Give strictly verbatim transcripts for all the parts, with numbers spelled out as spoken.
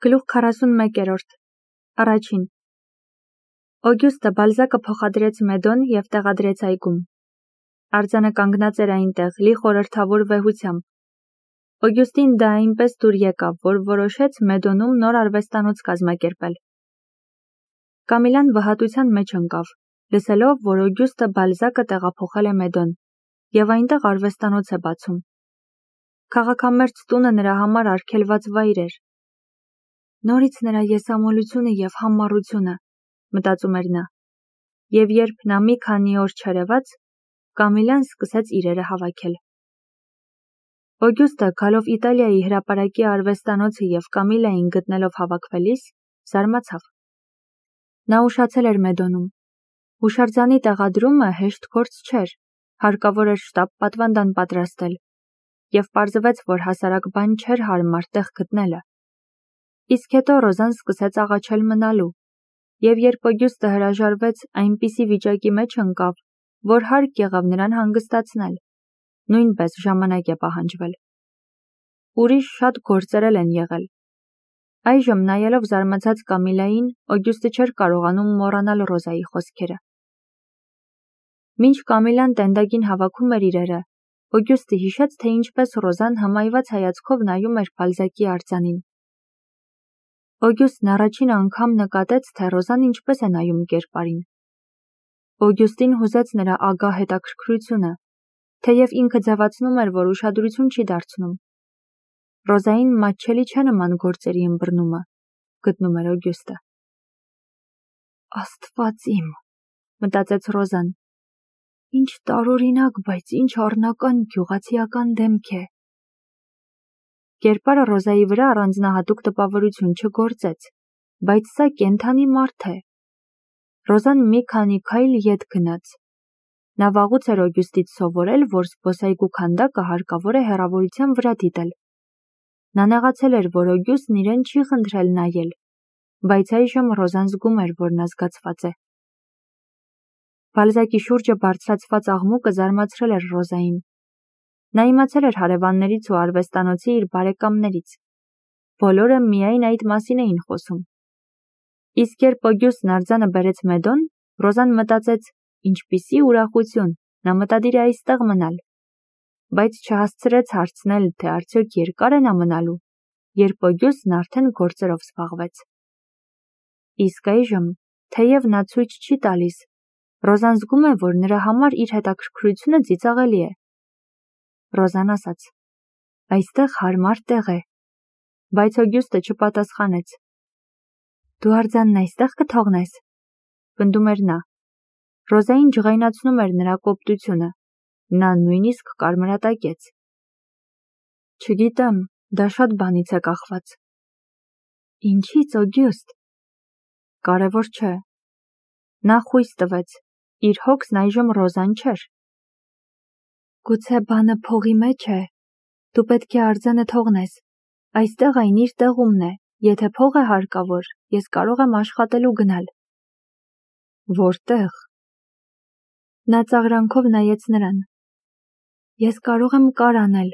Գլուխ քառասունմեկերորդ Առաջին Օգյուստը Բալզակը փոխադրեց Մեդոն և տեղադրեց այգում։ Արձանը կանգնած էր այնտեղ, լի խորհրդավոր վեհությամբ։ Օգյուստին դա այնպես դուր եկավ, որ որոշեց Մեդոնում նոր արվեստանոց կազմակերպել։ Կամիլան վհատության մեջ ընկավ, լսելով, որ Օգյուստը Բալզակը տեղափոխել է Մեդոն, և այնտեղ արվեստանոց է բացում։ Քաղաքամերձ տունը նրա համար արգելված վայր էր։ Նորից նրա եսամոլությունը և համառությունը, մտածում էր նա, և երբ նա մի քանի օր չերևաց, Կամիլան սկսեց իրերը հավաքել։ Օգյուստը գալով Իտալիայի հրապարակի արվեստանոցը և Կամիլային գտնելով հավաքվելիս, զարմացավ։ Նա ուշացել էր Մեդոնում։ Հուշարձանի տեղադրումը հեշտ գործ չէր, հարկավոր էր շտապ պատվանդան պատրաստել, և պարզվեց, որ հասարակ բան չէր հարմար տեղ գտնելը։ Իսկ հետո Ռոզան սկսեց աղաչել մնալու, և երբ Օգյուստը հրաժարվեց, այնպիսի վիճակի մեջ ընկավ, որ հարկ եղավ նրան հանգստացնել, նույնպես ժամանակ է պահանջվել։ Ուրիշ շատ գործեր էլ են եղել։ Այժմ, նայելով զարմացած Կամիլային, Օգյուստը չէր կարողանում մոռանալ Ռոզայի խոսքերը։ Մինչ Կամիլան տենդագին հավաքում էր իրերը, Օգյուստը հիշեց, թե ինչպես Ռոզան հմայված հայացքով նայում էր Բալզակի արձանին։ Օգյուստն առաջին անգամ նկատեց, թե Ռոզան ինչպես է նայում կերպարին։ Օգյուստին հուզեց նրա ագահ հետաքրքրությունը, թեև ինքը ձևացնում էր, որ ուշադրություն չի դարձնում։ Ռոզային մատչելի չէ նման գործերի ըմբռնումը, գտնում էր Օգյուստը։ Աստված իմ, մտածեց Ռոզան, ինչ տարօրինակ, բայց ինչ առնական գյուղացիական դեմք է։ Կերպարը Ռոզայի վրա առանձնահատուկ տպավորություն չգործեց, բայց սա կենդանի մարդ է։ Ռոզան մի քանի քայլ ետ գնաց։ Նա վաղուց էր Օգյուստից սովորել, որ զբոսայգու քանդակը հարկավոր է հեռավորության վրա դիտել։ Նա նեղացել էր, որ Օգյուստն իրեն չի խնդրել նայել, բայց այժմ Ռոզան զգում էր, որ նա զգացված է։ Բալզակի շուրջը բարձրացված աղմուկը զարմացրել էր Ռոզային։ Նա իմացել էր հարևաններից ու արվեստանոցի իր բարեկամներից։ Բոլորը միայն այդ մասին էին խոսում։ Իսկ երբ Օգյուստն արձանը բերեց Մեդոն, Ռոզան մտածեց, ինչպիսի ուրախություն, նա մտադիր է այստեղ մնալ, բայց չհասցրեց հարցնել, թե արդյոք երկար է նա մնալու, երբ Օգյուստն արդեն գործերով զբաղվեց։ Իսկ այժմ, թեև նա ցույց չի տալիս, Ռոզան զգում է, որ նրա համար իր հետաքրքրությունը ծիծաղելի է։ Ռոզան ասաց. Այստեղ հարմար տեղ է, բայց Օգյուստը չպատասխանեց։ Դու արձանն այստեղ կթողնես, պնդում էր նա։ Ռոզային ջղայնացնում էր նրա կոպտությունը, նա նույնիսկ կարմրատակեց։ Չգիտեմ, դա շատ բանից է կախված։ Ինչի՞ց, Օգյուստ։ Կարևոր չէ։ Նա խույս տվեց, իր հոգսն այժմ Ռոզան չէր։ Գուցե բանը փողի մեջ է։ Դու պետք է արձանը թողնես։ Այստեղ այն իր տեղումն է, եթե փող է հարկավոր, ես կարող եմ աշխատելու գնալ։ Որտեղ։ Նա ծաղրանքով նայեց նրան։ Ես կարող եմ կար անել։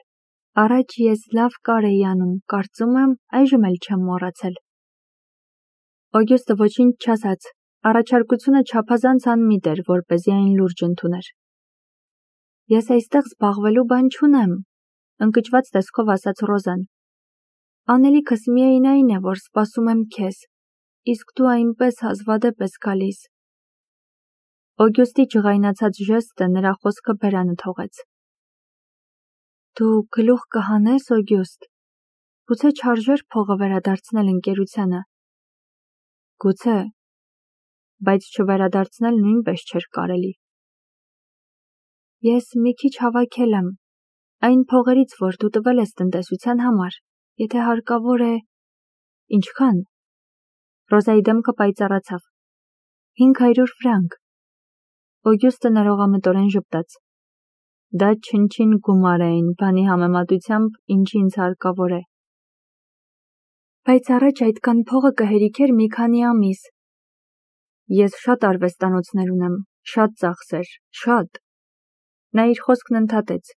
Առաջ ես լավ կար էի անում, կարծում եմ, այժմ էլ չեմ մոռացել։ Օգյուստը ոչինչ չասաց, առաջարկությունը չափազանց անմիտ էր, որպեսզի այն լուրջ ընդուներ։ Ես այստեղ զբաղվելու բան չունեմ, ընկճված տեսքով ասաց Ռոզան։ Անելիքս միայն այն է, որ սպասում եմ քեզ, իսկ դու այնպես հազվադեպ ես գալիս։ Օգյուստի ջղայնացած ժեստը նրա խոսքը բերանը թողեց։ Դու գլուխ կհանես, Օգյուստ։ Գուցե չարժեր փողը վերադարձնել ընկերությանը։ Գուցե, բայց չվերադարձնել նույնպես չէր կարելի։ Ես մի քիչ հավաքել եմ, այն փողերից, որ դու տվել ես տնտեսության համար, եթե հարկավոր է… Ինչքան։ Ռոզայի դեմքը պայծառացավ։ Հինգ հարյուր ֆրանկ։ Օգյուստը ներողամտորեն ժպտաց։ Դա չնչին գումար է այն բանի համեմատությամբ, ինչ ինձ հարկավոր է։ Բայց առաջ այդքան փողը կհերիքեր մի քանի ամիս։ Ես շատ արվեստանոցներ ունեմ, շատ ծախսեր, շատ։ Նա իր խոսքն ընդհատեց։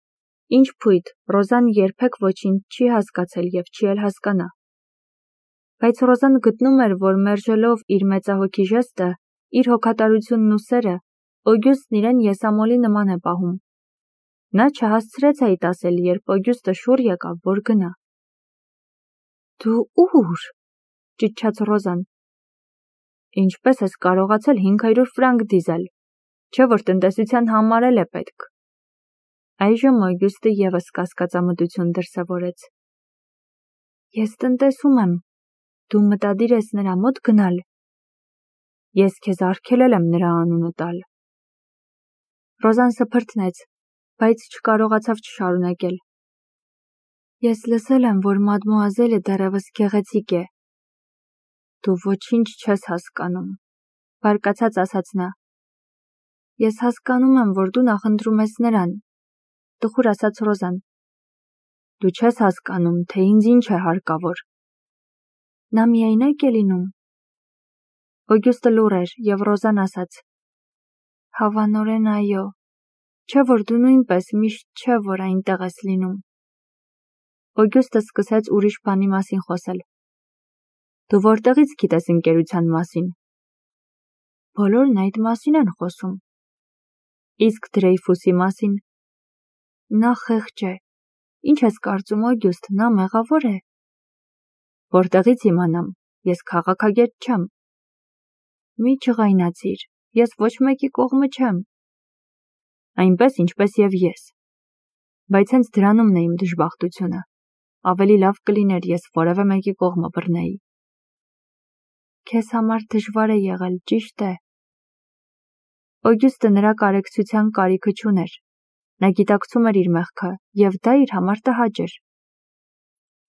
Ինչ փույթ, Ռոզան երբեք ոչինչ չի հասկացել և չի էլ հասկանա։ Բայց Ռոզան գտնում էր, որ մերժելով իր մեծահոգի ժեստը, իր հոգատարությունն ու սերը, Օգյուստն իրեն եսամոլի նման է պահում։ Նա չհասցրեց այդ ասել, երբ Օգյուստը շուռ եկավ, որ գնա։ Դու ուր, ճիչաց Ռոզան։ Ինչպես ես կարողացել հինգ հարյուր ֆրանկ դիզել, չէ որ տնտեսության համար էլ է պետք։ Այժմ Օգյուստը ևս կասկածամտություն դրսևորեց։ Ես տնտեսում եմ, դու մտադիր ես նրա մոտ գնալ։ Ես քեզ արգելել եմ նրա անունը տալ։ Ռոզան սփռտնեց, բայց չկարողացավ չշարունակել։ Ես լսել եմ, որ մադմուազելը դեռևս գեղեցիկ է։ Դու ոչինչ չես հասկանում, բարկացած ասաց նա։ Ես հասկանում եմ, որ դու նախընտրում ես նրան, տխուր ասաց Ռոզան։ Դու չես հասկանում, թե ինձ ինչ է հարկավոր։ Նա միայնակ է լինում։ Օգյուստը լուռ էր, և Ռոզան ասաց. Հավանորեն այո, չէ որ դու նույնպես միշտ չէ, որ այնտեղ ես լինում։ Օգյուստը սկսեց ուրիշ բանի մասին խոսել։ Դու որտեղից գիտես ընկերության մասին։ Բոլորն այդ մասին են խոսում։ Իսկ Դրեյֆուսի մասին։ Նա խեղճ է։ Ինչ ես կարծում, Օգյուստ, նա մեղավոր է։ Որտեղից իմանամ, ես քաղաքագետ չեմ։ Մի չղայնացիր, ես ոչ մեկի կողմը չեմ։ Այնպես ինչպես և ես։ Բայց հենց դրանումն է իմ դժբախտությունը։ Ավելի լավ կլիներ, ես որևէ մեկի կողմը բռնեի։ Քեզ համար դժվար է եղել, ճիշտ է։ Օգյուստը նրա կարեկցության կարիքը չուներ։ Նա գիտակցում էր իր մեղքը, և դա իր համար տհաճ էր։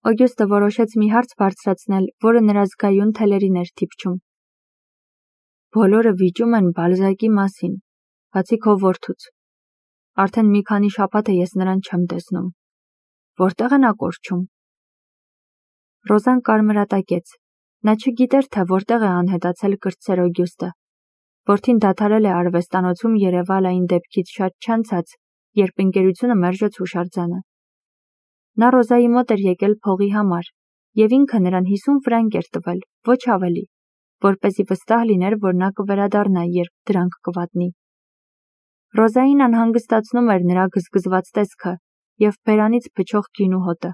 Օգյուստը որոշեց մի հարց բարձրացնել, որը նրա զգայուն թելերին էր թիպչում։ Բոլորը վիճում են Բալզակի մասին, բացի քո որդուց։ Արդեն մի քանի շաբաթ է ես նրան չեմ տեսնում։ Որտեղ է նա կորչում։ Ռոզան կարմրատակեց։ Նա չգիտեր, թե որտեղ է անհետացել կրտսեր Օգյուստը։ Որդին դադարել է արվեստանոցում երևալ այն դեպքից շատ չանցած, երբ ընկերությունը մերժեց հուշարձանը։ Նա Ռոզայի մոտ էր եկել փողի համար, և ինքը նրան հիսուն ֆրանկ էր տվել, ոչ ավելի, որպեսզի վստահ լիներ, որ նա կվերադառնա, երբ դրանք կվատնի։ Ռոզային անհանգստացնում էր նրա գզգզված տեսքը և բերանից փչող գինու հոտը,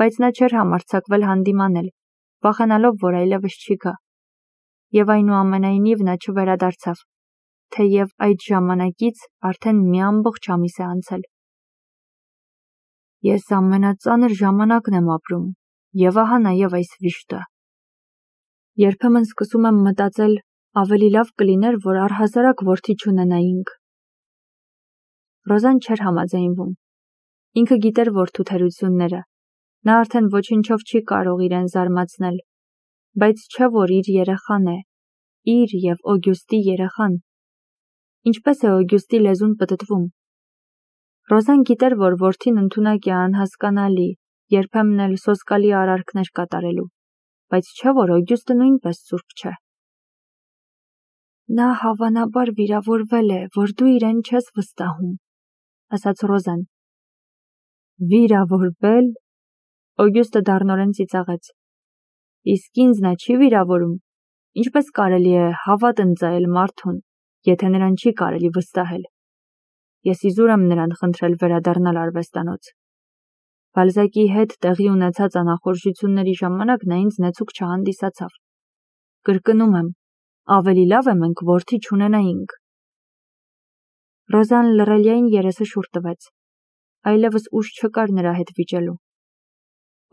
բայց նա չէր համարձակվել հանդիմանել, վախենալով, որ այլևս չի գա։ Եվ այնուամենայնիվ նա չվերադարձավ, թեև այդ ժամանակից արդեն մի ամբողջ ամիս է անցել։ Ես ամենածանր ժամանակն եմ ապրում, և ահա նաև այս վիշտը։ Երբեմն սկսում եմ մտածել, ավելի լավ կլիներ, որ առհասարակ որդի չունենայինք։ Ռոզան չէր համաձայնվում։ Ինքը գիտեր որդու թերությունները։ Նա արդեն ոչինչով չի կարող իրեն զարմացնել, բայց չէ որ իր երեխան է, իր և Օգյուստի երեխան։ Ինչպես է Օգյուստի լեզուն պտտվում։ Ռոզան գիտեր, որ որդին ընդունակ է անհասկանալի, երբեմն էլ սոսկալի արարքներ կատարելու, բայց չէ որ Օգյուստը նույնպես սուրբ չէ։ Նա հավանաբար վիրավորվել է, որ դու իրեն չես վստահում, ասաց Ռոզան։ Վիրավորվել։ Օգյուստը դառնորեն ծիծաղեց։ Իսկ ինձ նա չի վիրավորում։ Ինչպես կարելի է հավատ ընծայել մարդուն, եթե նրան չի կարելի վստահել։ Ես իզուր եմ նրան խնդրել վերադառնալ արվեստանոց։ Բալզակի հետ տեղի ունեցած անախորժությունների ժամանակ նա ինձ նեցուկ չհանդիսացավ։ Կրկնում եմ, ավելի լավ է մենք որդի չունենայինք։ Ռոզան լռելիային երեսը շուռ տվեց։ Այլևս ուժ չկար նրա հետ վիճելու։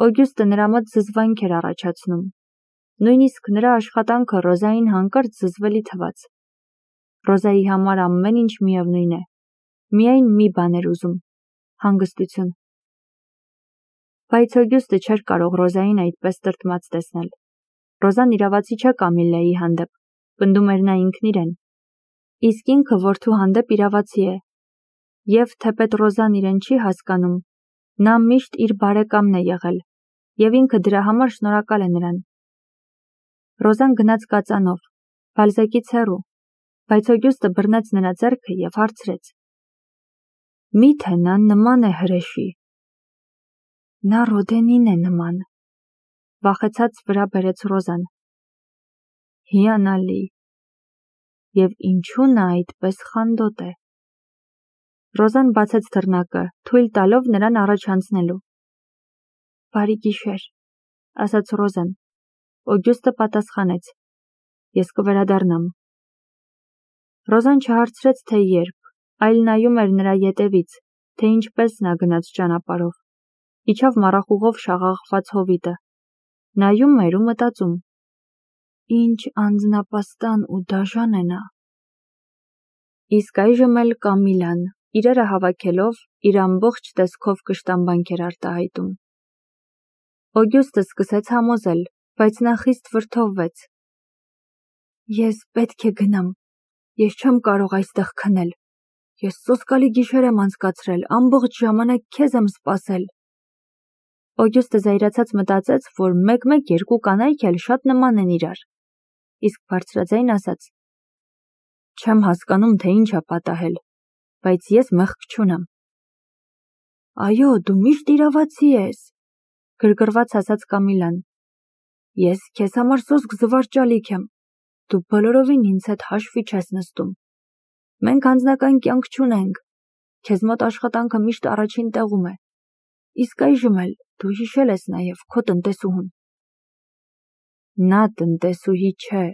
Օգյուստը նրա մոտ զզվանք էր առաջացնում։ Նույնիսկ նրա աշխատանքը Ռոզային հանկարծ զզվելի թվաց։ Ռոզայի համար ամեն ինչ միևնույն է։ Միայն մի բան էր ուզում՝ հանգստություն։ Բայց Օգյուստը չէր կարող Ռոզային այդպես տրտմած տեսնել։ Ռոզան իրավացի չէ Կամիլլայի հանդեպ, պնդում էր նա ինքն իրեն։ Իսկ ինքը որդու հանդեպ իրավացի է։ Եվ թեպետ Ռոզան իրեն չի հասկանում, նա միշտ իր բարեկամն է եղել, և ինքը դրա համար շնորհակալ է նրան։ Ռոզան գնաց կածանով, Բալզակից հեռու, բայց Օգյուստը բռնեց նրա ձեռքը և հարցրեց. Մի՞թե նա նման է հրեշի։ Նա Ռոդենին է նման։ վախեցած վրա բերեց Ռոզան։ Հիանալի։ Եվ ինչու նա այդպես խանդոտ է։ Ռոզան բացեց դռնակը, թույլ տալով նրան առաջ անցնելու։ Բարի գիշեր, ասաց Ռոզան։ Օգյուստը պատասխանեց. Ես կվերադառնամ։ Ռոզան չհարցրեց, թե երբ, այլ նայում էր նրա ետևից, թե ինչպես նա գնաց ճանապարհով։ Իջավ մառախուղով շաղաղված հովիտը։ Նայում էր ու մտածում. Ինչ անձնապաստան ու դաժան է նա։ Իսկ այժմ էլ Կամիլան, իրերը հավաքելով, իր ամբողջ տեսքով կշտամբանք էր արտահայտում։ Օգյուստը սկսեց համոզել, բայց նա խիստ վրդովվեց։ Ես պետք է գնամ, ես չեմ կարող այստեղ քնել, ես սոսկալի գիշեր եմ անցկացրել, ամբողջ ժամանակ քեզ եմ սպասել։ Օգյուստը զայրացած մտածեց, որ մեկ-մեկ երկու կանայք էլ շատ նման են իրար, իսկ բարձրաձայն ասաց. Չեմ հասկանում, թե ինչ է պատահել, բայց ես մեղք չունեմ։ Այո, դու միշտ իրավացի ես, գրգռված ասաց Կամիլան։ Ես քեզ համար սոսկ զվարճալիք եմ, դու բոլորովին ինձ հետ հաշվի չես նստում։ Մենք անձնական կյանք չունենք, քեզ մոտ աշխատանքը միշտ առաջին տեղում է, իսկ այժմ էլ դու հիշել ես նաև քո տնտեսուհուն։ Նա տնտեսուհի չէ։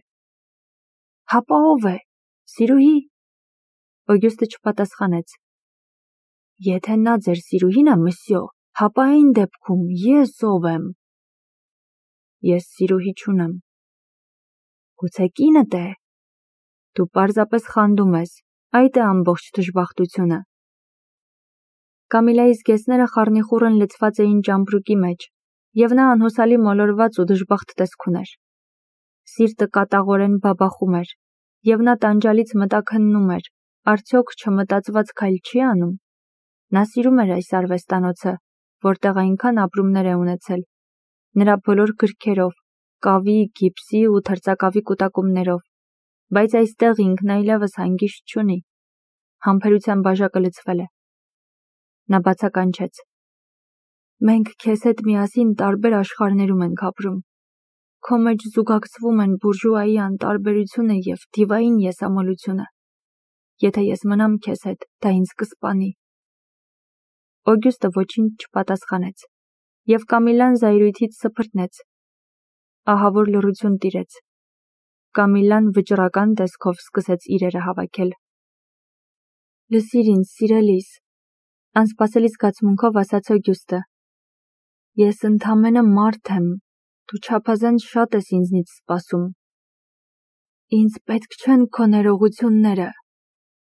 Հապա ով է, սիրուհի։ Օգյուստը չպատասխանեց։ Եթե նա ձեր սիրուհին է, մսյո, հապա այն դեպքում ես ով եմ։ Ես սիրուհի չունեմ։ Գուցե կինդ է։ Դու պարզապես խանդում ես, այդ է ամբողջ դժբախտությունը։ Կամիլայի զգեստները խառնիխուռն լցված էին ճամպրուկի մեջ, և նա անհուսալի մոլորված ու դժբախտ տեսք ուներ։ Սիրտը կատաղորեն բաբախում էր, և նա տանջալից մտաքննում էր, արդյոք չմտածված քայլ չի անում։ Նա սիրում էր այս արվեստանոցը, որտեղ այնքան ապրումներ է ունեցել, նրա բոլոր գրքերով, կավի, գիպսի ու թրծակավի կուտակումներով, բայց այստեղ ինքն այլևս հանգիստ չունի։ Համբերության բաժակը լցվել է։ Նա բացականչեց. Մենք քեզ հետ միասին տարբեր աշխարհներում ենք ապրում։ Քո մեջ զուգակցվում են բուրժուայի անտարբերությունը և դիվային եսամոլությունը։ Եթե ես մնամ քեզ հետ, դա ինձ կսպանի։ Օգյուստը ոչինչ չպատասխանեց, և Կամիլան զայրույթից սփռտնեց։ Ահավոր լռություն տիրեց։ Կամիլան վճռական տեսքով սկսեց իրերը հավաքել։ Լսիր ինձ, սիրելիս, անսպասելի զգացմունքով ասաց Օգյուստը։ Ես ընդամենը մարդ եմ, դու չափազանց շատ ես ինձնից սպասում։ Ինձ պետք չեն քո ներողությունները,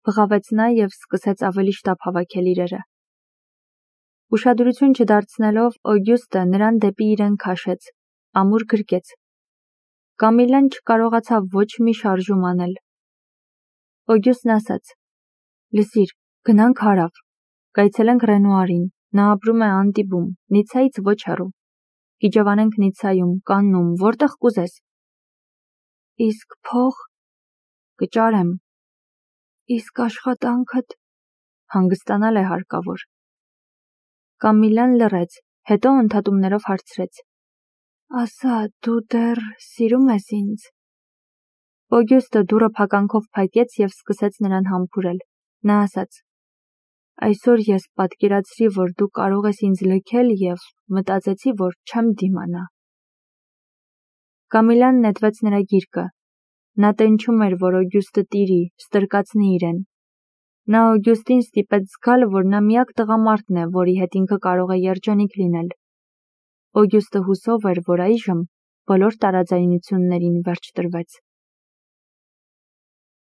բղավեց նա և սկսեց ավելի շտապ հավաքել իրերը։ Ուշադրություն չդարձնելով, Օգյուստը նրան դեպի իրեն քաշեց, ամուր գրկեց։ Կամիլան չկարողացավ ոչ մի շարժում անել։ Օգյուստն ասաց. Լսիր, գնանք հարավ, կայցելենք Ռենուարին, նա ապրում է Անտիբում, Նիցայից ոչ հեռու։ Գիջևանենք Նիցայում, Կաննում, որտեղ կուզես։ Իսկ փող կճարեմ։ Իսկ աշխատանքդ հանգստանալ է հարկավոր։ Կամիլան լռեց, հետո ընդհատումներով հարցրեց. Ասա, դու դեռ սիրում ես ինձ։ Օգյուստը դուռը փականքով փակեց և սկսեց նրան համբուրել։ Նա ասաց. Այսօր ես պատկերացրի, որ դու կարող ես ինձ լքել և մտածեցի, որ չեմ դիմանա։ Կամիլան նետվեց նրա գիրկը։ Նա տենչում էր, որ Օգյուստը տիրի, ստրկացնի իրեն։ Նա Օգյուստին ստիպեց զգալ, որ նա միակ տղամարդն է, որի հետ ինքը կարող է երջանիկ լինել։ Օգյուստը հուսով էր, որ այժմ բոլոր տարաձայնություններին վերջ տրվեց։